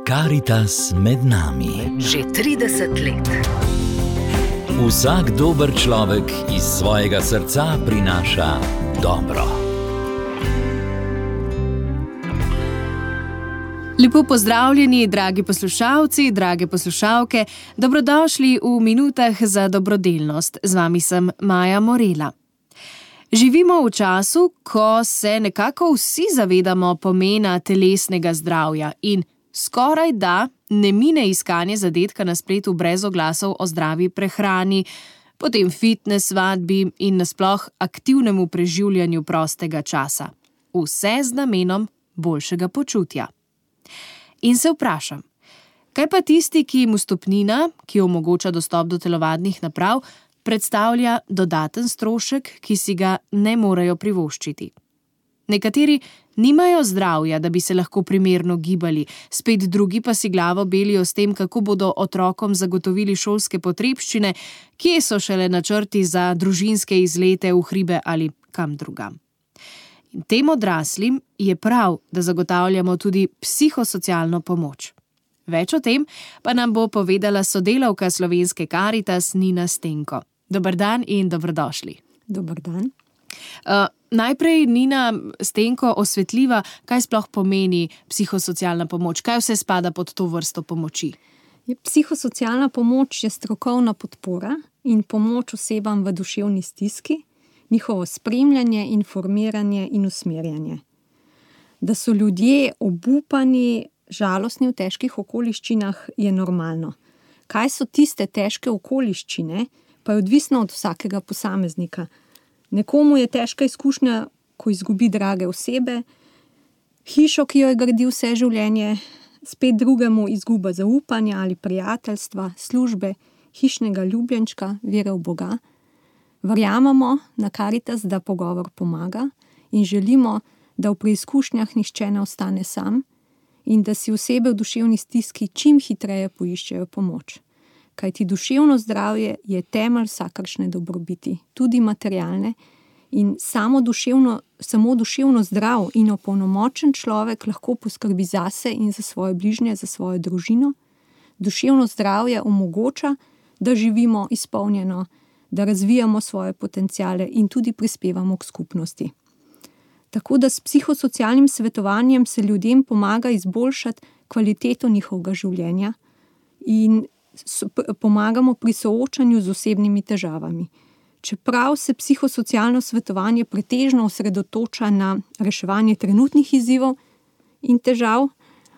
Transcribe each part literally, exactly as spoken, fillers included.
Karitas med nami. Že trideset let. Vsak dober človek iz svojega srca prinaša dobro. Lepo pozdravljeni, dragi poslušalci, drage poslušalke. Dobrodošli v minutah za dobrodelnost. Z vami sem Maja Morela. Živimo v času, ko se nekako vsi zavedamo pomena telesnega zdravja in skoraj da ne mine iskanje zadetka na spletu brez oglasov o zdravi prehrani, potem fitness vadbi in nasploh aktivnemu preživljanju prostega časa. Vse z namenom boljšega počutja. In se vprašam, kaj pa tisti, ki jim vstopnina, ki omogoča dostop do telovadnih naprav, predstavlja dodaten strošek, ki si ga ne morejo privoščiti. Nekateri nimajo zdravja, da bi se lahko primerno gibali, spet drugi pa si glavo belijo s tem, kako bodo otrokom zagotovili šolske potrebščine, kje so šele načrti za družinske izlete v hribe ali kam drugam. In tem odraslim je prav, da zagotavljamo tudi psihosocialno pomoč. Več o tem pa nam bo povedala sodelavka Slovenske Karitas Nina Stenko. Dober dan in dobrodošli. Dober dan. Uh, najprej, Nina Stenko, osvetliva, kaj sploh pomeni psihosocialna pomoč, kaj vse spada pod to vrsto pomoči? Psihosocialna pomoč je strokovna podpora in pomoč osebam v duševni stiski, njihovo spremljanje, informiranje in usmerjanje. Da so ljudje obupani, žalostni v težkih okoliščinah, je normalno. Kaj so tiste težke okoliščine, pa je odvisno od vsakega posameznika. Nekomu je težka izkušnja, ko izgubi drage osebe, hišo, ki jo je gradil vse življenje, spet drugemu izguba zaupanja ali prijateljstva, službe, hišnega ljubljenčka, vere v Boga. Verjamemo na Karitas, da pogovor pomaga in želimo, da v preizkušnjah nihče ne ostane sam in da si osebe v duševni stiski čim hitreje poiščejo pomoč. Kajti duševno zdravje je temelj vsakršne dobrobiti, tudi materialne, in samo duševno, samo duševno zdrav in opolnomočen človek lahko poskrbi zase in za svoje bližnje, za svojo družino. Duševno zdravje omogoča, da živimo izpolnjeno, da razvijamo svoje potenciale in tudi prispevamo k skupnosti. Tako da s psihosocialnim svetovanjem se ljudem pomaga izboljšati kvaliteto njihovega življenja in pomagamo pri soočanju z osebnimi težavami. Čeprav se psihosocialno svetovanje pretežno osredotoča na reševanje trenutnih izzivov in težav,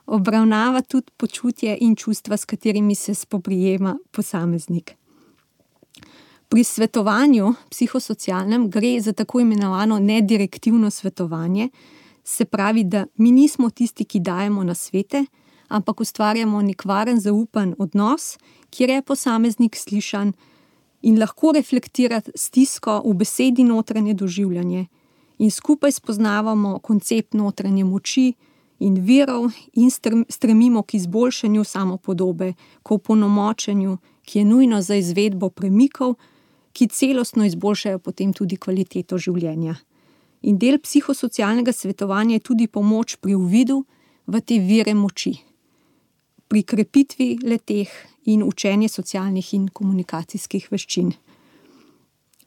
obravnava tudi počutje in čustva, s katerimi se spoprijema posameznik. Pri svetovanju psihosocialnem gre za tako imenovano nedirektivno svetovanje, se pravi, da mi nismo tisti, ki dajemo nasvete, ampak ustvarjamo nek varen, zaupan odnos, kjer je posameznik slišan in lahko reflektira stisko v besedi notranje doživljanje in skupaj spoznavamo koncept notranje moči in virov in stremimo k izboljšanju samopodobe, k opolnomočenju, ki je nujno za izvedbo premikov, ki celostno izboljšajo potem tudi kvaliteto življenja. In del psihosocialnega svetovanja je tudi pomoč pri uvidu v te vire moči, pri krepitvi leteh in učenje socialnih in komunikacijskih veščin.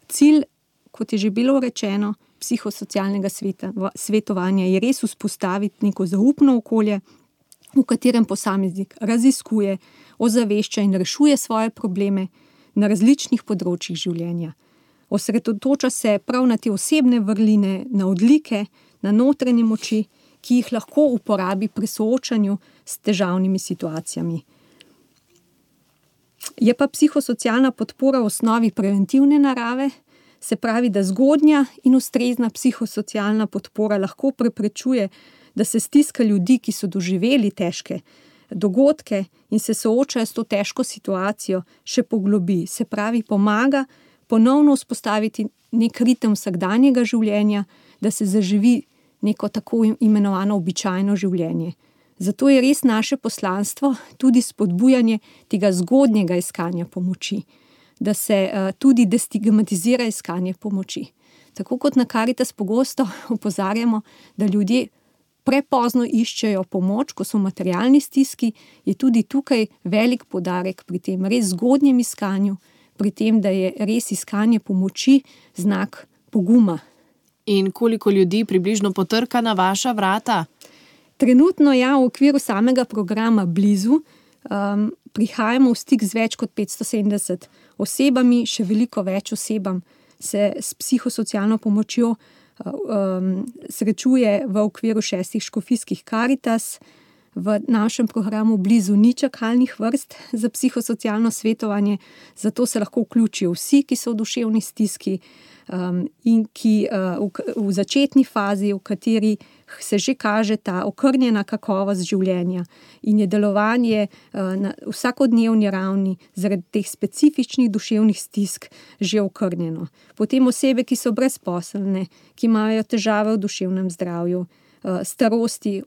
Cilj, kot je že bilo rečeno, psihosocialnega sveta, svetovanja je res vzpostaviti neko zaupno okolje, v katerem posameznik raziskuje, ozavešča in rešuje svoje probleme na različnih področjih življenja. Osredotoča se prav na te osebne vrline, na odlike, na notranje moči, ki jih lahko uporabi pri soočanju s težavnimi situacijami. Je pa psihosocialna podpora v osnovi preventivne narave, se pravi, da zgodnja in ustrezna psihosocialna podpora lahko preprečuje, da se stiska ljudi, ki so doživeli težke dogodke in se soočajo s to težko situacijo, še poglobi. Se pravi, pomaga ponovno vzpostaviti nek ritem vsakdanjega življenja, da se zaživi neko tako imenovano običajno življenje. Zato je res naše poslanstvo tudi spodbujanje tega zgodnjega iskanja pomoči, da se uh, tudi destigmatizira iskanje pomoči. Tako kot na Karitas pogosto opozarjamo, da ljudje prepozno iščejo pomoč, ko so v materialni stiski, je tudi tukaj velik poudarek pri tem res zgodnjem iskanju, pri tem, da je res iskanje pomoči znak poguma. In koliko ljudi približno potrka na vaša vrata? Trenutno ja, v okviru samega programa Blizu um, prihajamo v stik z več kot petsto sedemdeset osebami, še veliko več osebam se s psihosocialno pomočjo um, srečuje v okviru šestih škofijskih Karitas. V našem programu Blizu ni čakalnih vrst za psihosocialno svetovanje, zato se lahko vključijo vsi, ki so v duševni stiski um, in ki uh, v, v začetni fazi, v kateri se že kaže ta okrnjena kakovost življenja in je delovanje uh, na vsakodnevni ravni zaradi teh specifičnih duševnih stisk že okrnjeno. Potem osebe, ki so brezposelne, ki imajo težave v duševnem zdravju, uh, starosti,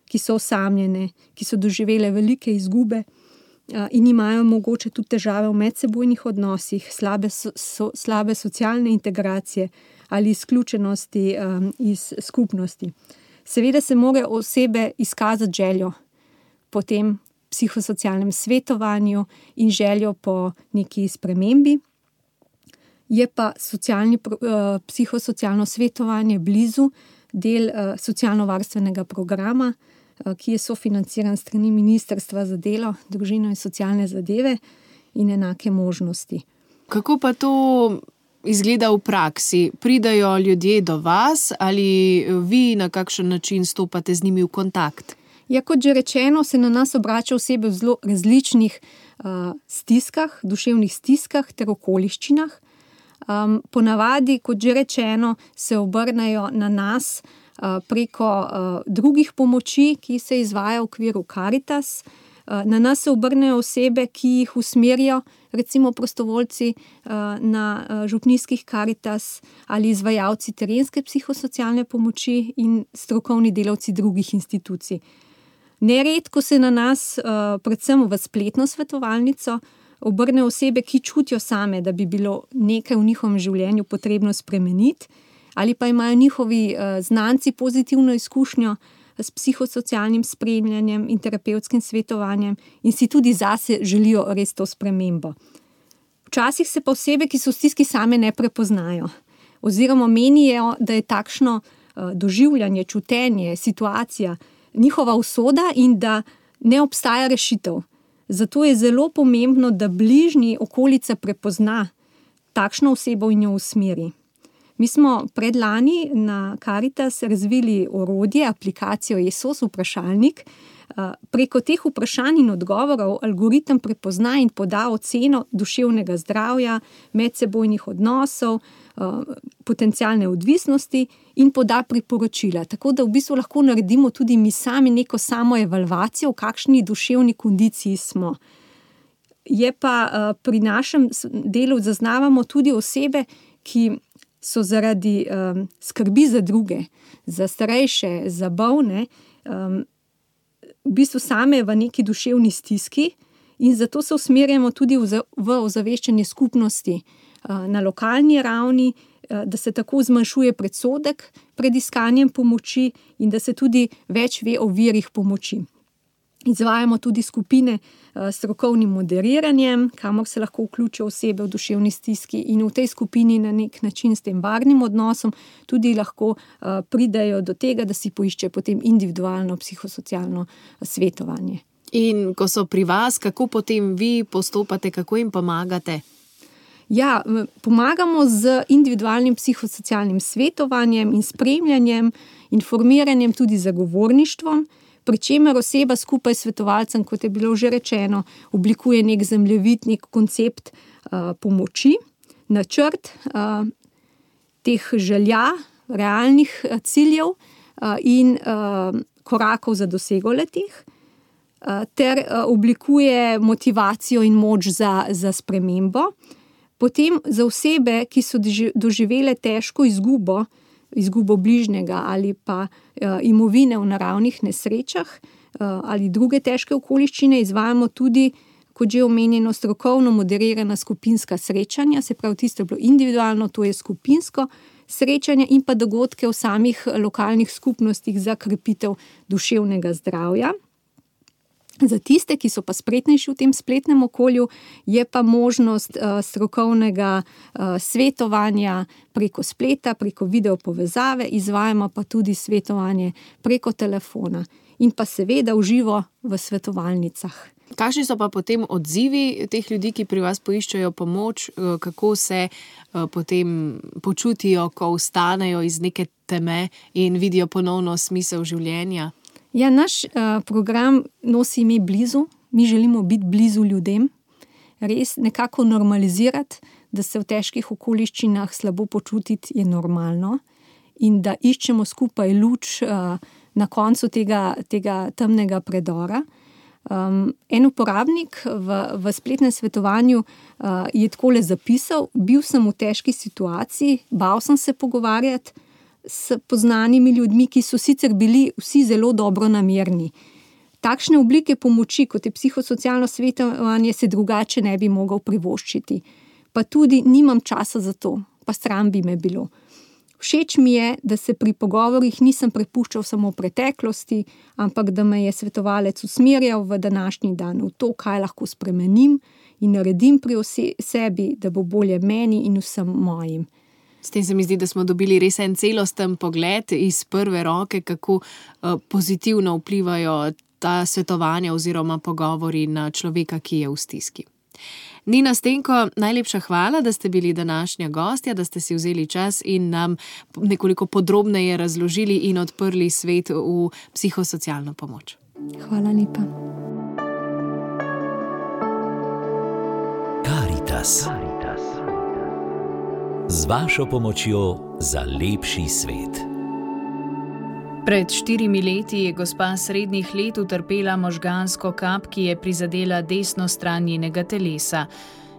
ki so osamljene, ki so doživele velike izgube uh, in imajo mogoče tudi težave v medsebojnih odnosih, slabe, so, so, slabe socialne integracije ali izključenosti um, iz skupnosti. Seveda se morajo osebe izkazati željo po tem psihosocialnem svetovanju in željo po neki spremembi. Je pa socialni, uh, psihosocialno svetovanje Blizu del uh, socialno-varstvenega programa, uh, ki je sofinanciran s strani Ministrstva za delo, družino in socialne zadeve in enake možnosti. Kako pa to izgleda v praksi? Pridajo ljudje do vas ali vi na kakšen način stopate z njimi v kontakt? Ja, kot že rečeno, se na nas obrača osebe v zelo različnih uh, stiskah, duševnih stiskah ter okoliščinah. Um, ponavadi, kot že rečeno, se obrnejo na nas uh, preko uh, drugih pomoči, ki se izvaja v okviru Karitas. Uh, na nas se obrnejo osebe, ki jih usmerijo, recimo prostovoljci uh, na uh, župnijskih Karitas ali izvajalci terenske psihosocialne pomoči in strokovni delavci drugih institucij. Neredko se na nas, uh, predvsem v spletno svetovalnico, obrne osebe, ki čutijo same, da bi bilo nekaj v njihovem življenju potrebno spremeniti, ali pa imajo njihovi uh, znanci pozitivno izkušnjo s psihosocialnim spremljanjem in terapevtskim svetovanjem in si tudi zase želijo res to spremembo. Včasih se pa osebe, ki so v stiski, same ne prepoznajo oziroma menijo, da je takšno uh, doživljanje, čutenje, situacija njihova usoda in da ne obstaja rešitev. Zato je zelo pomembno, da bližnji okolica prepozna takšno osebo in jo usmeri. Mi smo predlani na Karitas razvili orodje, aplikacijo Esos vprašalnik. Preko teh vprašanj in odgovorov algoritem prepozna in poda oceno duševnega zdravja, medsebojnih odnosov, potencialne odvisnosti in poda priporočila. Tako da v bistvu lahko naredimo tudi mi sami neko samoevalvacijo, v kakšni duševni kondiciji smo. Je pa pri našem delu zaznavamo tudi osebe, ki so zaradi um, skrbi za druge, za starejše, za bolne, um, v bistvu same v neki duševni stiski in zato se usmerjamo tudi v, v ozaveščanje skupnosti uh, na lokalni ravni, uh, da se tako zmanjšuje predsodek pred iskanjem pomoči in da se tudi več ve o virih pomoči. Izvajamo tudi skupine s strokovnim moderiranjem, kamor se lahko vključijo osebe v duševni stiski in v tej skupini na nek način s tem varnim odnosom tudi lahko pridajo do tega, da si poiščejo potem individualno psihosocialno svetovanje. In ko so pri vas, kako potem vi postopate, kako jim pomagate? Ja, pomagamo z individualnim psihosocialnim svetovanjem in spremljanjem, informiranjem, tudi zagovorništvom, pri čemer oseba skupaj s svetovalcem, kot je bilo že rečeno, oblikuje nek zemljevid, nek koncept uh, pomoči, načrt uh, teh želja, realnih uh, ciljev uh, in uh, korakov za dosego letih, uh, ter uh, oblikuje motivacijo in moč za, za spremembo. Potem za osebe, ki so doživele težko izgubo, izgubo bližnjega ali pa uh, imovine v naravnih nesrečah uh, ali druge težke okoliščine, izvajamo tudi, kot že omenjeno, strokovno moderirana skupinska srečanja, se pravi, tisto je bilo individualno, to je skupinsko srečanja in pa dogodke v samih lokalnih skupnostih za krepitev duševnega zdravja. Za tiste, ki so pa spretnejši v tem spletnem okolju, je pa možnost uh, strokovnega uh, svetovanja preko spleta, preko video povezave, izvajamo pa tudi svetovanje preko telefona in pa seveda v živo v svetovalnicah. Kakšni so pa potem odzivi teh ljudi, ki pri vas poiščejo pomoč, kako se uh, potem počutijo, ko vstanejo iz neke teme in vidijo ponovno smisel življenja? Ja, naš uh, program nosi ime Blizu. Mi želimo biti blizu ljudem, res nekako normalizirati, da se v težkih okoliščinah slabo počutiti je normalno in da iščemo skupaj luč uh, na koncu tega, tega temnega predora. Um, en uporabnik v, v spletnem svetovanju uh, je takole zapisal: bil sem v težki situaciji, bal sem se pogovarjati s poznanimi ljudmi, ki so sicer bili vsi zelo dobronamerni. Takšne oblike pomoči, kot je psihosocialno svetovanje, se drugače ne bi mogel privoščiti. Pa tudi nimam časa za to, pa sram bi me bilo. Všeč mi je, da se pri pogovorih nisem prepuščal samo preteklosti, ampak da me je svetovalec usmerjal v današnji dan, v to, kaj lahko spremenim in naredim pri sebi, da bo bolje meni in vsem mojim. S tem se mi zdi, da smo dobili res en celosten pogled iz prve roke, kako pozitivno vplivajo ta svetovanja oziroma pogovori na človeka, ki je v stiski. Nina Stenko, najlepša hvala, da ste bili današnja gostja, da ste si vzeli čas in nam nekoliko podrobneje razložili in odprli svet v psihosocialno pomoč. Hvala lepa. Karitas. Z vašo pomočjo za lepši svet. Pred štirimi leti je gospa srednjih let utrpela možgansko kap, ki je prizadela desno stran njenega telesa.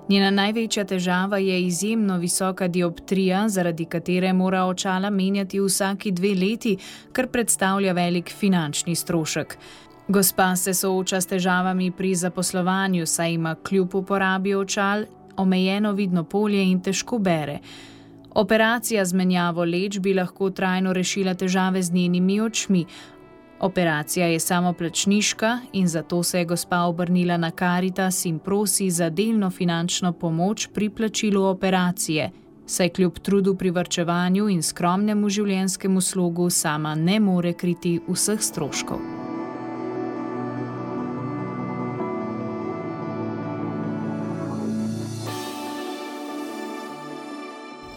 Njena največja težava je izjemno visoka dioptrija, zaradi katere mora očala menjati vsaki dve leti, kar predstavlja velik finančni strošek. Gospa se sooča s težavami pri zaposlovanju, saj ima kljub uporabi očal omejeno vidno polje in težko bere. Operacija z menjavo leč bi lahko trajno rešila težave z njenimi očmi. Operacija je samoplačniška in zato se je gospa obrnila na Karitas in prosi za delno finančno pomoč pri plačilu operacije, saj kljub trudu pri varčevanju in skromnemu življenjskemu slogu sama ne more kriti vseh stroškov.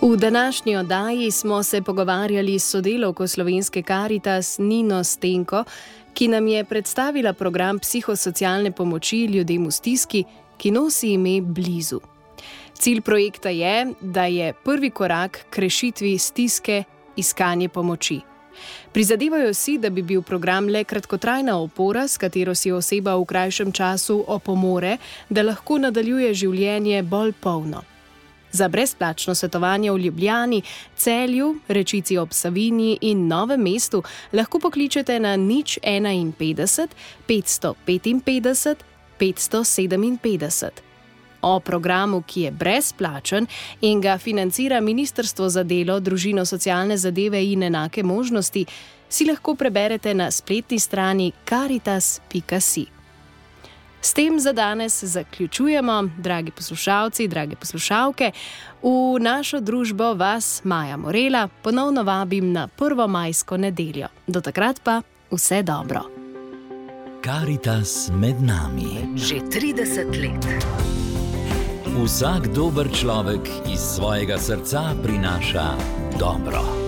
V današnji oddaji smo se pogovarjali s sodelavko slovenske Karitas Nino Stenko, ki nam je predstavila program psihosocialne pomoči ljudem v stiski, ki nosi ime Blizu. Cilj projekta je, da je prvi korak k rešitvi stiske iskanje pomoči. Prizadevajo si, da bi bil program le kratkotrajna opora, s katero si oseba v krajšem času opomore, da lahko nadaljuje življenje bolj polno. Za brezplačno svetovanje v Ljubljani, Celju, Rečici ob Savinji in Novem mestu lahko pokličete na nič enainpetdeset, petsto petinpetdeset, petsto sedeminpetdeset. O programu, ki je brezplačen in ga financira Ministrstvo za delo, družino, socialne zadeve in enake možnosti, si lahko preberete na spletni strani karitas pika si. S tem za danes zaključujemo, dragi poslušalci, drage poslušalke. V našo družbo vas, Maja Morela, ponovno vabim na prvo majsko nedeljo. Do takrat pa vse dobro. Karitas med nami. Že trideset let. Vsak dober človek iz svojega srca prinaša dobro.